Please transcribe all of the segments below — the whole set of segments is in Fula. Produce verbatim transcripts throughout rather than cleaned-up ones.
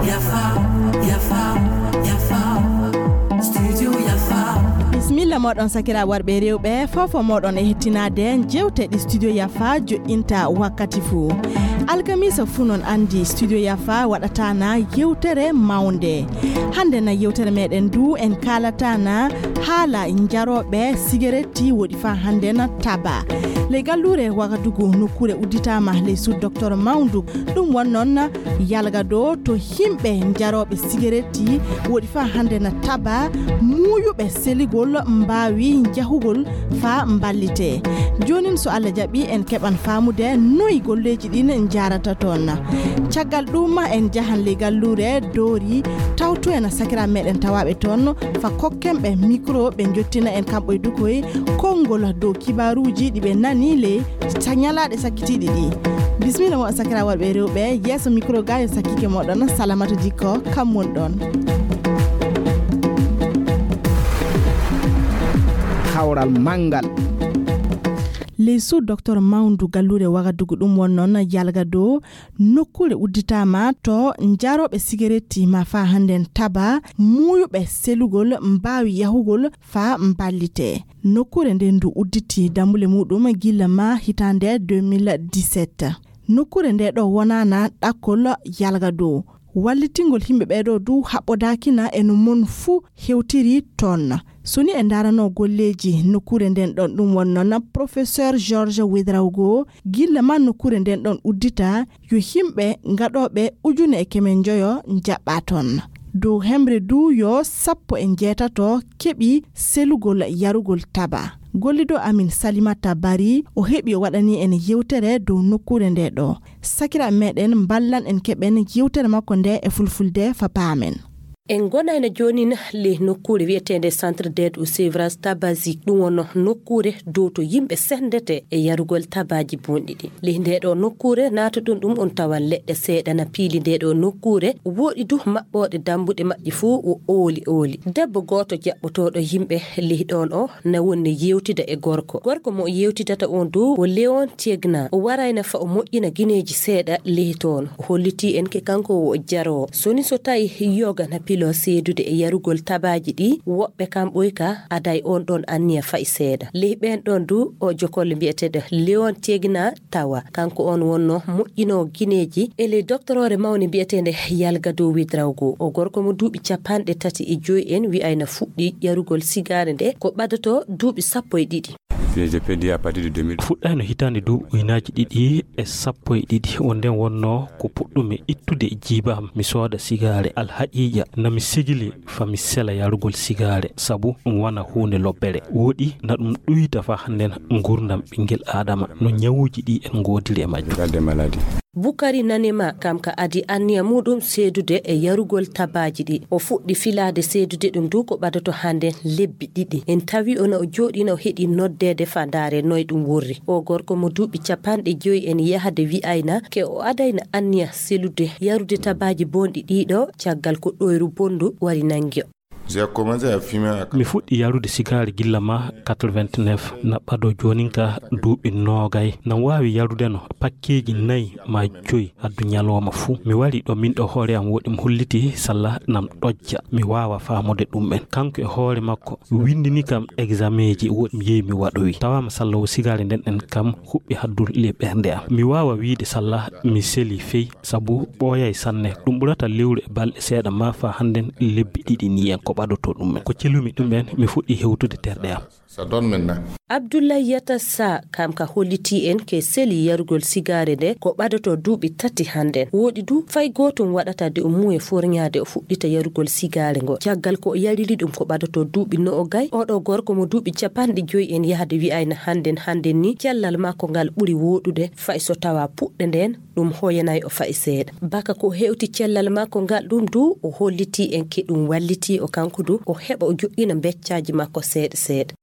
Yafa, yafa, yafa. Studio Yafa. Bisimilla moɗon, sakiraaɓe worɓe e rewɓe, fofo moɗon e hettinaade jeewte ɗi Studio Yafa joɗɗinta wakkati fuu. Alkamiisa fuu, non anndi, Studio Yafa waɗataana yewtere mawnde. Hannde na yewtere meɗen ndu, en kaalataana haala njarooɓe sigaretti woɗi faa hannde na taba. Ley galluure Wagadugu, nokkuure udditaama ley suudu Docteur Mawndu. Ɗum won non Yalgado, to yimɓe njarooɓe sigaretti woɗi faa hannde na taba, muuyuɓe seligol mbaawi njahugol faa mballitee. Joonin, so Allah jaɓii, en keɓan faamude noy golleeji ɗin njahrata toon. Caggal ɗum, en njahan ley galluure Doori, tawtoyen sakiraaɓe meɗen tawaaɓe toon, faa kokken ɓe mikro, ɓe njottina en kamɓe e dukoy konngol dow kibaaruuji ɗi ɓe nani ley sa-, ñalaaɗe sakkitiiɗe ɗi. Bisimilla moɗon, sakiraaɓe worɓe e rewɓe, yeeso mikro ga yo sakkike moɗon, Salamata Dikko, kam won ɗoon. Kawral manngal. Ley suudu Docteur Mawndu, galluure Wagadugu, ɗum won non Yalgado, nokkuure udditaama to njarooɓe sigaretti maa faa hannden taba, muuyuɓe selugol mbaawi yahugol faa mballitee. Nokkuure nden ndu udditi dammule muuɗum gilla maa hitaande deux mille dix-sept. Nokkuure nde ɗo wonaana ɗakkol Yalgado. Wallitingol yimɓe ɓee ɗoo du haɓɓodaakina e no mon fuu hewtiri toon. So ni en ndaarano golleeji nokkuure nden ɗon, ɗum won non Professeur Georges Ouédraogo, gilla maa nokkuure nden ɗon uddita, yo yimɓe ngaɗooɓe ujune e keme njoyo njaɓɓaa toon. Dow hemre du yo sappo e njeetato keɓi selugol yarugol taba. Gollido amin Salimata Bari, o heɓi o waɗani en yewtere dow nokkuure nde ɗo. Sakiraaɓe meɗen mballan en keɓen yewtere makko nde e fulfulde faa paamen. En ngonayno joonin ley nokkuure wi'eteende Centre d'aide au sevrage tabagique, ɗum won nokkuure dow to yimɓe senndete e yarugol tabaaji bonɗi ɗi. Ley ndee ɗoo nokkuure naatuɗon ɗum, on tawan leɗɗe seeɗa na piili ndee ɗoo nokkuure, woɗɗi du maɓɓooɗe dammbuɗe majji fuu wo ooli ooli. Debbo gooto jaɓɓotooɗo yimɓe ley ɗoon o na woni yewtida e gorko. Gorko mo o yewtidata on du wo Léon Tiegna. O warayno faa o moƴƴina gineeji seeɗa ley toon. O hollitii en ke kanko wo jaroowo. So ni so tawi yoga na piloo seedude e yarugol tabaaji ɗi, woɓɓe kam ɓoy ka aday on ɗon anniya fay seeɗa. Ley ɓeen ɗon du o jokolle mbiyeteeɗo Léon Tiegna tawa. Kanko on wonno moƴƴinoowo gineeji e ley doktoroore mawnde mbiyeteende Yalgado Ouédraogo. O gorko mo duuɓi capanɗe tati e joy en wi'ayna fuɗɗi yarugol sigaare nde ko ɓadoto duuɓi sappo e ɗiɗi. Fuɗɗayno hitaande duuɓi ujunaaji ɗiɗi e sappo e ɗiɗi. Wonde wonno ko puɗɗumi ittude e jiiba am, mi sooda sigaare. Alhaqiiqa, na mi sigili faa mi sela yarugol sigaare, sabu ɗum wona huunde lobbere. Woɗi na ɗum ɗuyta faa hannden nguurndam ɓinngel Aadama, no ñawuuji ɗi en ngoodiri e majjum. Bukari Nanema, kam ka adi anniya muuɗum seedude e yarugol tabaaji ɗi. O fuɗɗi filaade seedude ɗum du ko ɓadoto hannden lebbi ɗiɗi. En tawi o na o jooɗii na o heɗii noddeede faa ndaare noy ɗum worri. O gorko mo duuɓi capanɗe joy en yahde wi'ayna ke o adayna anniya selude yarude tabaaji bonɗi ɗii ɗo caggal ko ɗoyru bonndu wari nanngi o. Mi fuɗɗi yarude sigaari gilla ma quatre-vingt-neuf, na ɓado joonin ka duuɓi noogay. Na waawi yarude no pakkeeji nayi maa joyi addu ñalooma fuu. Mi wari ɗo min ɗo hoore am woɗi mi holliti salla nam ɗojja. Mi waawa faamude ɗum en. Kanko e hoore makko winndini kam egzameeji woɗi mi yehi mi waɗowi. Tawaama salla o sigaari nden ɗen kam huɓɓi haddu le ɓernde am. Mi waawa wiide salla mi seli fey. Sabu ɓooyay sanne. Ɗum ɓurata lewru e balɗe seeɗa maa faa hannden lebbi ɗiɗi nii en ko ɓadoto ɗum en. Ko celumi ɗum en, mi fuɗɗi hewtude terɗe am. Abdullahi Yata Sa, kam ka hollitii en ke seli yarugol sigaare nde ko ɓadoto duuɓi tati hannden. Woɗi du fay gootum waɗata de o muuye forñaade o fuɗɗita yarugol sigaare ngo. Caggal ko o yariri ɗum ko ɓadoto duuɓi noogay, oɗo gorko mo duuɓi capanɗe joyi en yahde wi'ayna hannden hannden ni cellal makko ngal ɓuri woɗude fay so tawa puɗɗe nden ɗum hoyanay o fay seeɗa. Baka ko hewti cellal makko ngal ɗum du, o hollitii en ke ɗum wallitii o kanko du, o heɓa o joɗɗina mbeccaaji makko seeɗa seeɗa.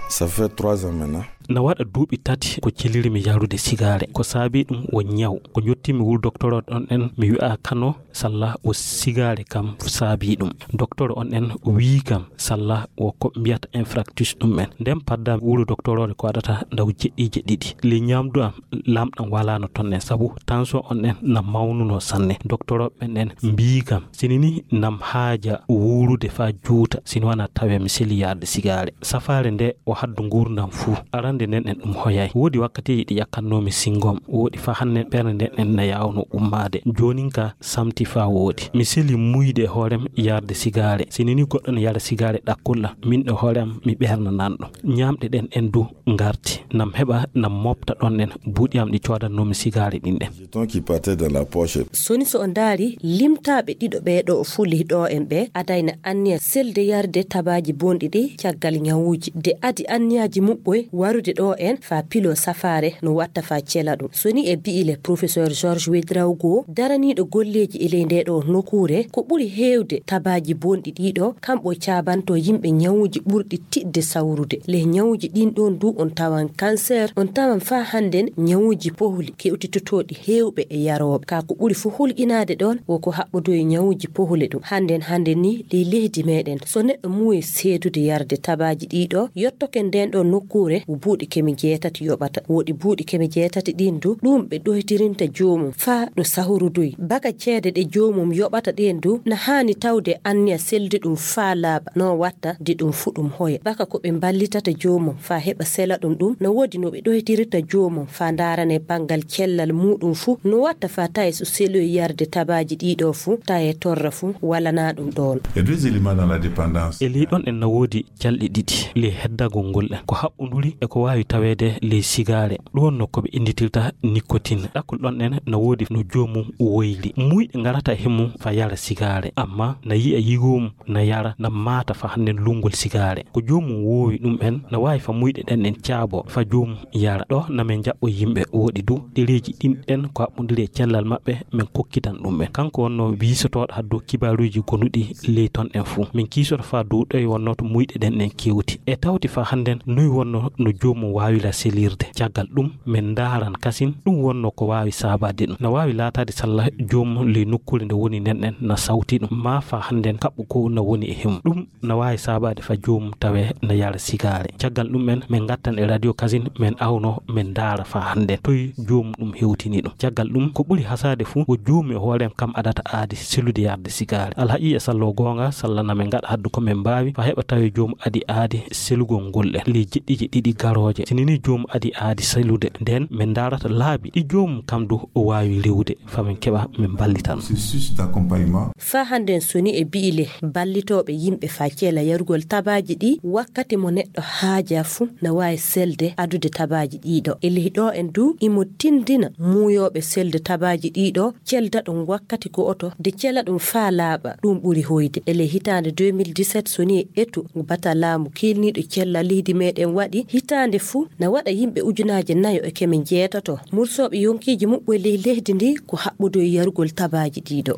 Ça fait trois ans maintenant. Na waɗa duuɓi tati ko celirmi yarude sigaare. Ko saabii ɗum wo ñaw. Ko njottiimi wuro docteur on ɗon en, mi wi'a kano salla wo sigaare kam saabii ɗum. Docteur on en wi'i kam salla wo ko mbiyata infractus ɗum en. Nden padda wuro docteur on ko waɗata ndaw jeɗɗiije ɗiɗi. Le ñaamdu am lamɗam walaano ton en, sabu tension on en na mawnuno sanne. Docteur ɓen en mbi'i kam, sini ni nam haaja wuurude faa juuta, sini wana tawe mi seli yarde sigaare. Safaare nde o haddu nguurndam fuu. Arande nden en ɗum hoyay. Woodi wakkatiiji ɗi ƴakkannoomi singom. Woodi faa hannden ɓernde nden en na yaawno ummaade. Joonin ka samti faa woodi. Mi seli muyde hoorem yarde sigaare. Sini ni goɗɗo ne yara sigaare ɗakkulla. Min ɗo hoorem mi ɓernananɗo. Ñaamɗe ɗen en du ngarti. Nam heɓa, nam mofta ɗon en buuɗi am ɗi coodannoomi sigaare ɗin ɗen. Jetons qui partait dans la poche. Soni so o ndaari, limtaaɓe ɗiɗo ɓee ɗo o fuli ɗo en ɓe, adayna anniya selde yarde tabaaji bonɗi ɗi caggal ñawuuji. De adi anniyaaji muɓɓoy warude ɗo en faa pilo safaare no watta faa cela ɗum. Soni e bi'ile Professeur Georges Ouédraogo, daraniiɗo golleeji e ley nde ɗo nokuure, ko ɓuri heewde tabaaji bonɗi ɗiɗo, kamɓo caabanto yimɓe ñawuuji ɓurɗi tiɗde sawrude. Ley ñawuuji ɗin ɗon du on tawan cancer, on tawan faa hannden ñawuuji pohli kewtitotooɗi heewɓe e yarooɓe. Kaa ko ɓuri fuu hulƴinaade ɗon wo ko haɓɓodoyi ñawuuji pohli ɗum. Hannden, hannden ni ley leydi meɗen, so neɗɗo muuyi seedude yarde tabaaji ɗiɗo, yottoke nden ɗon nokkuure wo buuɗi keme jeetati yoɓata. Woɗi buuɗi keme jeetati ɗin du, ɗum ɓe ɗoytirinta joomum faa ɗo sahrudoyi. Baka ceede ɗe joomum yoɓata ɗen du, na haani tawde anniya seldi ɗum faa laaɓa, no watta de ɗum fu ɗum hoya. Baka ko ɓe mballitata joomum faa heɓa sela ɗum ɗum, no woodi no ɓe ɗoytirirta joomum faa ndaarane banngal cellal muuɗum fu, no watta faa taye so seloyi yarde tabaaji ɗiɗo fu, taye torra fu, walana ɗum ɗon. Il y a deux éléments dans la dépendance. E ley ɗon en na woodi calɗi ɗiɗi ley heddagol ngol en. Ko haɓɓunduri e ko waawi taweede ley sigaare. Ɗum wonno ko ɓe innditirta nicotine. Ɗakkol ɗon en na woodi no joomum woyri. Muuyɗe ngarata e mum faa yara sigaare, amma na yi'a yigoo mum na yara, na maata faa hannden lunngol sigaare. Ko joomum woowi ɗum en, na waawi faa muuyɗe ɗen en caabo faa joomum yara. Ɗo na men jaɓɓo yimɓe woɗi du, ɗereeji ɗin ɗen ko haɓɓundiri e cellal maɓɓe, men kokkitan ɗum en. Kanko wonno wiisotooɗo haddu kibaaruuji gonuɗi ley ton en fuu. Min kiisoto faa dow ɗoye wonno to muuyɗe ɗen en kewti. E tawti faa hannden noy wonno no joomum waawira selirde. Caggal ɗum, men ndaaran kasin ɗum wonno ko waawi saabaade ɗum. Na waawi laataade salla joomum ley nokkuure nde woni nden en na sawti ɗum. Maa faa hannden kaɓɓu ko na woni e hemum. Ɗum na waawi saabaade faa joomum tawe na yara sigaare. Caggal ɗum en, men ngattan e radio kasin, men awno, men ndaara faa hannden toy joomum ɗum hewtini ɗum. Caggal ɗum, ko ɓuri hasaade fuu, wo joomum e hoore mum kam adata aadi selude yarde sigaare. Alhaqiiqa sallo goonga, salla na men ngaɗa haddu ko men mbaawi, faa heɓa tawe joomum adi aadi selugol ngol en. Ley jeɗɗiije ɗiɗi garooje. Sini ni joomum adi aadi selude, nden men ndaarata laabi ɗi joomum kam du o waawi rewude, faa men keɓa men mballitano. Processus d'accompagnement. Faa hannden soni e bi'ile ballitooɓe yimɓe faa cela yarugol tabaaji ɗi, wakkati mo neɗɗo haaja fuu na waawi selde adude tabaaji ɗiɗo. E ley ɗo en du, imo tindina muuyooɓe selde tabaaji ɗiɗo, celda ɗum wakkati go'oto, de cela ɗum faa laaɓa, ɗum ɓuri hoyde. E ley hitaande deux mille dix-sept, soni e etu bata laamu kiilniiɗo cella leydi meɗen waɗi, hitaande fuu na waɗa yimɓe ujunaaje nayo e keme jeetato mursooɓe yonkiiji muɓɓoy ley leydi ndi ko haɓɓudoyi yarugol tabaaji ɗiɗo.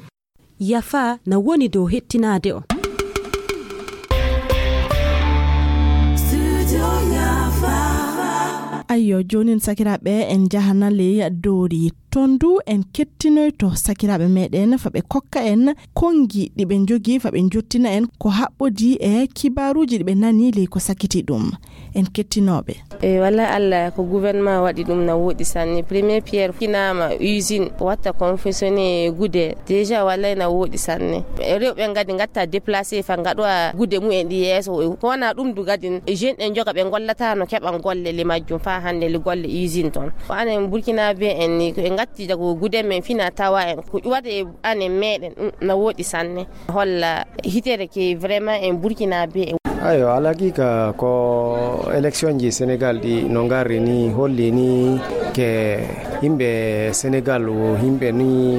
Yafa na woni dow hettinaade on. Ayyo, joonin sakiraaɓe, en njahana ley Doori. Ton du en kettinoyto sakiraaɓe meɗen faa ɓe kokka en konngi ɗi ɓe njogii faa ɓe njottina en ko haɓɓodii e kibaaruuji ɗi ɓe nanii ley ko sakiti ɗum. En kettinooɓe. E wallay Allah, ko gouvernement waɗi ɗum na wooɗi sanne. Premier pierre kinaama usine watta confectionné gude. Déjà wallay na wooɗi sanne. Rewɓe ngadi ngatta déplacé faa ngaɗowa gude mumen ɗi yeeso. Ko wona ɗum du gadin jeune en joga ɓe ngollata no keɓan golle li majjum faa hannde li golle usine ton. Ko anen Burkina be en ni ko ɓe ngatti jago gude men fina tawa en ko waɗe anen meɗen, ɗum na wooɗi sanne. Holla hitere ke vraiment en Burkina be en. Ayo, alhaqiqa ko élection ji Sénégal ɗi no ngarri ni holli ni ke yimɓe Sénégal o yimɓe ni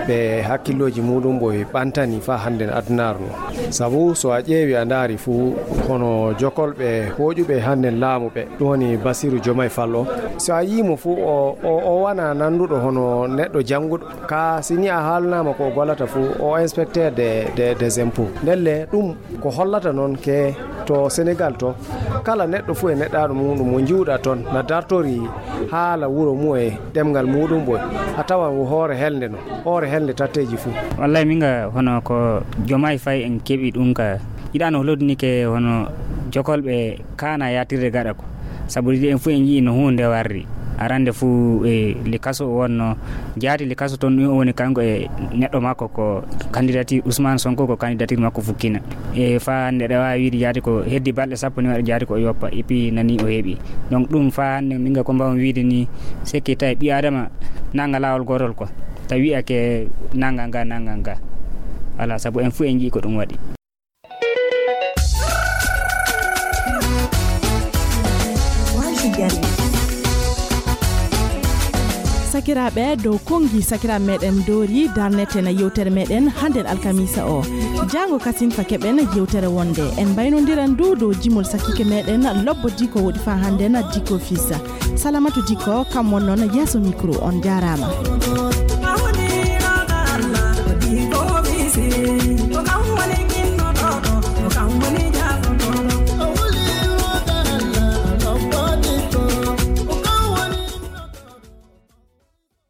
ɓe hakkillooji muɗum ɓoy ɓantani faa hannden adunaaru no. Sabu so a ƴeewi a ndaari fuu hono jokolɓe hooƴuɓe hannden laamu ɓe, ɗum woni Bassirou Diomaye Faye o. So a yii mo fuu o, o, o wana nannduɗo hono neɗɗo jannguɗo. Ka si ni a haalnaama ko o gollata fuu, o inspecteur de, de, des impôts. Ndelle ɗum ko hollata noon ke To Senegal to, kala neɗɗo fuu e neɗɗaaɗo muuɗum mo njiwɗa toon na dartori haala wuro mum e ɗemngal muuɗum ɓoy, a tawan wo hoore helde no, hoore helde tatteeji fuu. Wallay min ga hono ko jomaay fay en keɓi ɗum ka yiɗaano holodini ke hono jokolɓe kaana yaatirde gaɗa ko. Sabu ɗiɗi en fuu en njii no huunde warri. Arande fuu e likaso o wonno jaati likaso toon ɗum o woni kanko e neɗɗo makko ko candidature Ousmane Sonko ko candidature makko fukkina. E faa hannde ɗe waawi wiide jaati ko heddi balɗe sappo ni waɗa jaati ko o yoppa et puis nani o heɓi. Donc ɗum faa hannde min ga ko mbawmi wiide ni sekki tawi ɓi adama nanga laawol gootol ko tawi wiyake nanga nga nanga nga. Voilà, sabu en fuu en njii ko ɗum waɗi. Sakiraaɓe dow konngi sakiraaɓe meɗen doori darneten yewtere meɗen hannden alkamisa o. Jaango kasin fa keɓen yewtere wonde en mbaynondiran ndu dow jimol sakiike meɗen lobbo diko woɗi fa hannden diko fisa. Salamatu diko kam won noon yeeso micro on jaaraama.